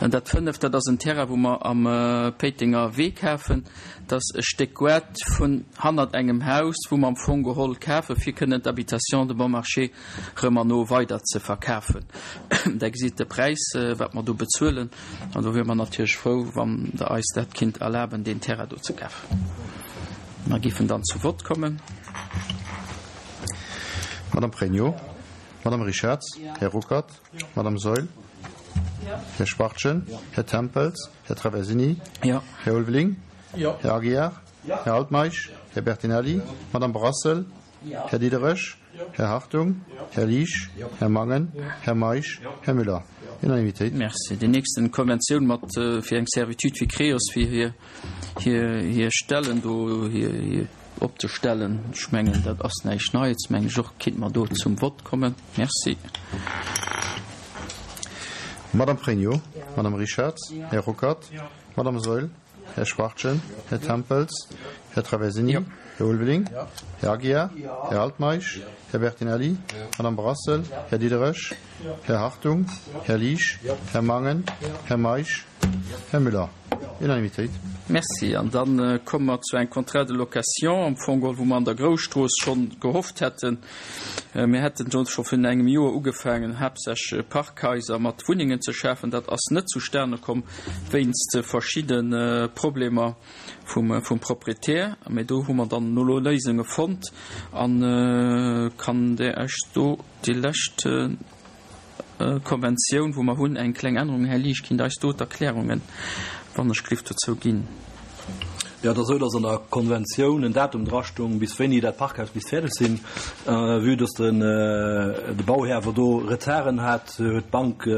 Dat fënneft, dat ass en Terrain, wou mer am Péitenger Wee kafen. Dat ass e Stéck Goart vun hannert engem Haus, wou mer am Fong geholl kafen, fir kënnen d'Habitation de bon marché rëm an no weider ze verkafen. Der gesitt de Präis, wat mer do bezuelen. An do wiere mer natierlech frou, wann Der eis dat kinnt erlaben, deen Terrain do ze kafen. Mer géifen dann zu Vott kommen. Madame Pregno, Madame Richarz, Här Ruckert. Madame Saeul, Här Schwachtgen, Här Tempels, Här Traversini, Här Ulveling, Här Aguiar, Här Altmeisch, Här Bertinelli, Madame Brassel, Här Diderich, Här Hartung, Här Liesch, Här Mangen, Här Meisch, Här Müller. Unanimitéit. Merci. Déi nächsten Konventioun mat fir eng Servitude fir Creos, fir hir hir hir Stellen do hir hir opzestellen. Ech mengen, dat ass näischt Neits, mengen ech och. Kinnt mer do zum Vott kommen? Merci. Madame Pregno, Madame Richarz, Här Ruckert, Madame Saeul, Här Schwachtgen, Här Tempels, Här Traversini, Här Ulveling, Här Aguiar, Här Altmeisch, Här Bertinelli, Madame Brassel, Här Diderich, Här Hartung, Här Liesch, Här Mangen, Här Meisch, Här Müller. Unanimitéit. Merci. An da komme mer zu engem Contrat de location, am Fong geholl, wou mer an der Grousstrooss schonn gehofft hätten, mir hätten do scho virun engem Joer ugefaangen, haaptsächlech Parkhaiser mat Wunnengen ze schafen. Dat ass net zustane komm wéinst verschidde Problemer vum Proprietär. Mä do hu mer dann elo Léisunge fonnt. A kann Der Iech do déi lescht Konventioun, wou mer hunn, eng kleng Ännerung. Här Liesch, kinnt eis do d'Erklärungen, wann ech glift, dozou ginn? Jo, et ass esou, dass an der Konventioun en Datum drastung, bis wéini dat Parkhaus misst fäerdeg sinn. Vue dass den de Bauhär awer do Retarden hat, huet d'Bank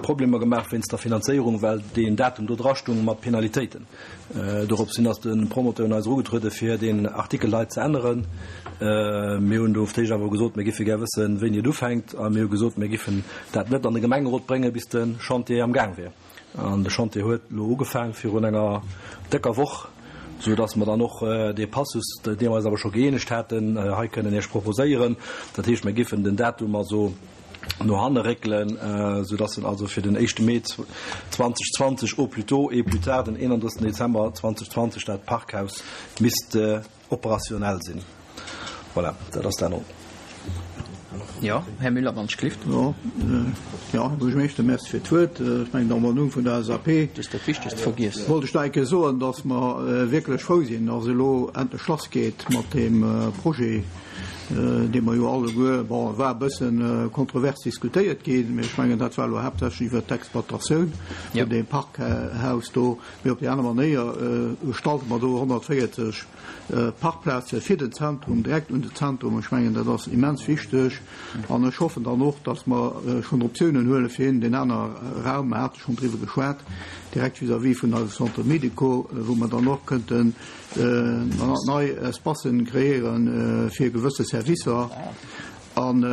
Problemer gemaach wéinst der Finanzéierung, well deen Datum do drastung mat Penalitéiten. Dorops hin ass de Promoteur un eis erugetruede fir deen Artikel hei ze änneren. Mir hunn do op d'éischt awer gesot, mir giffe gär wëssen, wéini et ufänkt, a mir hu gesot, mir giffen dat net an de Gemengerot bréngen, bis de Chantier am Gaang wier. An de Chantier huet elo ugefaang virun enger décker Woch, sou datt mer dann och dee Passus, dee mer eis awer scho gëeenegt haten, hei kënnen Iech proposéieren. Dat heescht, mir giffen den Datum also no hanne réckelen, soudass en also fir den éischte Mee 2020 au plus tôt et plus tard den 31. Dezember 2020 dat Parkhaus misst operationell sinn. Voilà, dat ass d'Ännerung. Jo, Här Müller, wann ech glift. Jo, Här Buergermeeschter, Merci fir d'Wuert. Ech mengen, am Numm vun der LSAP. Du hues dat Wichtegst vergiess. Wollt ech nach eng Kéier soen, dass mer wierklech frou sinn, dass elo endlech lassgeet mat deem Projet, dee mer jo alleguer, bon, e war e bësse kontrovers diskutéiert ginn, mee ech mengen, dat war elo haaptsächlech iwwert d'Exploitatioun vun deem Parkhaus do. Mee op déi aner Manéier gestalte mer do 140 Parkplaze fir den Zentrum, direkt un den Zentrum. Ech mengen, dat ass immens wichteg. An ech hoffen dann och, dass mer schonn Optiounen huele fir een, deen aner Raum, mer hate schonn driwwer geschwat, direkt vis-à-vis vun eise Centre médico, wou mer dann och kënnten, nei Espacen kreéieren fir gewësse Servicer an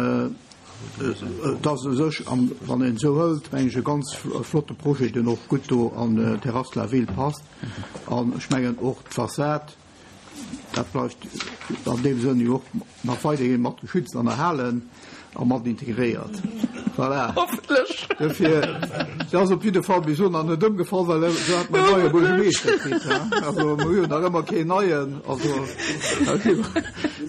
et ass u sech, wann een esou hëlt, meng ech e ganz flotte Projet, deen och gutt do an d'Terrasse de la Ville passt an ech mengen och d'Fassad, dat bleift an deem Sënn jo och nach weiderhi mat geschützt an erhalen a mat integréiert. Voilà. Hoffentlech. Dofir, se ass op jidde Fall bis elo nach net ëmgefall, well se hat mer en neie Buergermeeschter kritt, hein. Also mer hu jo nach ëmmer keen neien, also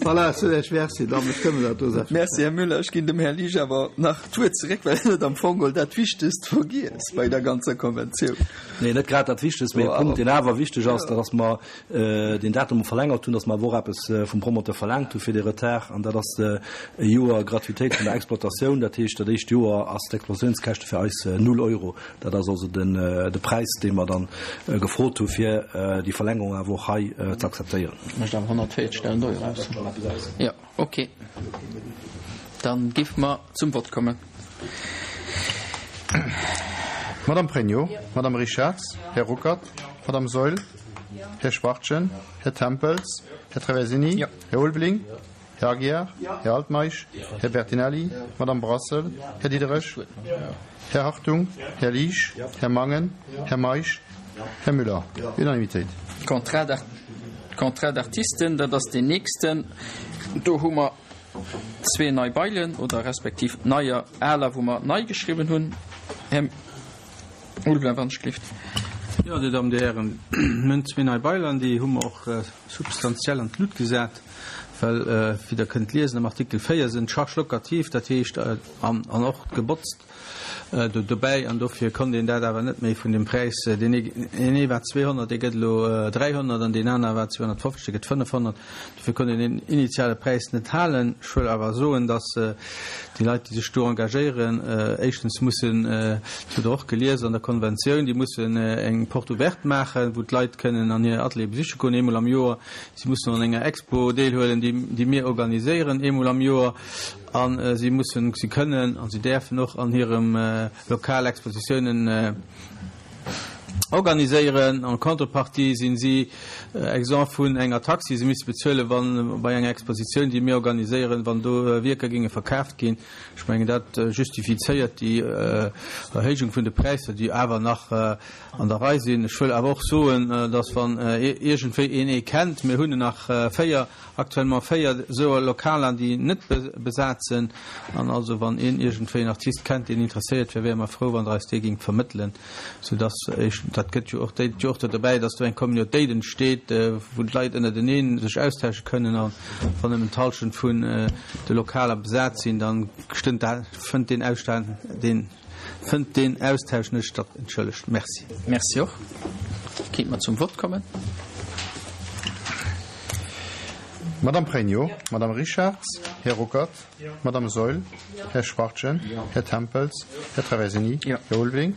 voilà, ech soen Iech Merci, da bestëmme dat do selbstverständlech. Merci, Här Müller. Ech ginn dem Här Liesch awer nach d'Wuert zeréck, well hien huet am Fong geholl dat Wichtegst vergiess bei der ganzer Konventioun. Nee, net grad dat Wichtegst, mee e Punkt, deen awer wichteg ass, dat ass mer, deen Datum verlängert hunn, dass mer awer och eppes vum Promoteur verlaangt hu fir dee Retard, an dat ass e Joer Gratuitéit vun der Exploitatioun. Dat heescht, dat éischt Joer ass d'Exploitatiounskäschte fir eis null Euro. Dat ass also den de Präis, dee mer dann gefrot hu fir déi Verlängerung awer och hei ze akzeptéieren. Mécht awer 140.000 Euro aus. Jo, okay. Dann géife mer zum Vott kommen. Madame Pregno, Madame Richarz, Här Ruckert, Madame Saeul, Här Schwachtgen, Här Tempels, Här Traversini, Här Ulveling, Här Aguiar, Här Altmeisch, Här Bertinelli, Madame Brassel, Här Diderich, Här Hartung, Här Liesch, Här Mangen, Här Meisch, Här Müller. Unanimitéit. Contrat d'artisten, dat ass deen nächsten. Do hu mer zwee nei Bailen oder respektiv neier, aler, wou mer nei geschriwwen hunn. Här Ulveling, wann ech gelift. Jo, Dir Dammen, Dir Hären, mir hunn zwee nei Baillen, déi hu mer och substantiell an d'Lut gesat, well, wéi Der kënnt liesen am Artikel 4, sinn d'Charges locatives, dat heescht, an och gebotzt do dobäi, an dofir konnt een dat awer net méi vun dem Präis, deen ee war 200, dee gëtt elo 300, an deen aner war 250, dee gëtt 500. Dofir konnt een deen initiale Präis net halen. Ech wëll awer soen, datt déi Leit, déi sech do engagéieren, éischtens mussen, dat hutt Der och gelies an der Konventioun, déi mussen eng Porte ouverte maachen, wou d'Leit kënnen an hir Ateliere besiche goen, eemol am Joer. Si mussen un enger Expo deelhuelen, déi mir organiséieren, eemol am Joer. A si mussen, si kënnen a si däerfen och an hirem Lokal Expositiounen organiséieren. En contrepartie sinn si exempt vun enger Taxe, déi se misse bezuelen, wann bei enger Expositioun, déi mir organiséieren, wann do Wierker géinge verkaaft ginn. Ech mengen, dat justifizéiert déi Erhéijung vun de Präisser, déi awer nach an der Rei sinn. Ech wëll awer och soen, dass wann iergendwéi een ee kennt, mir hunn nach 4, Actuellement 4 esou Lokaler déi net besat sen, an also wann een iergendwéi en Artist kennt deen interesséiert wär, wäre mer frou wann der eis dee gingt vermëttelen, sou dass ech, dat gëtt jo och, déit jo och do derbäi, dass do eng Communautéit entsteet, wou d'Leit ënnerteneen sech austausche kënnen, a wann nëmmen d'Halschent vun de Lokaler besat sinn, dann stënnt dat, fënnt deen Ausstand, deen. Fënnt deen Austausch net statt? Entschëllegt. Merci. Merci och. Kéint mer zum Vott kommen? Madame Pregno, Madame Richarz, Här Ruckert, Madame Saeul, Här Schwachtgen, Här Tempels, Här Traversini, Här Ulveling,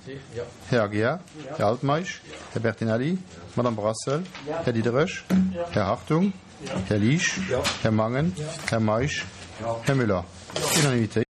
Här Aguiar, Här Altmeisch, Här Bertinelli, Madame Brassel, Här Diderich, Här Hartung, Här Liesch, Här Mangen, Här Meisch, Här Müller. Unanimitéit.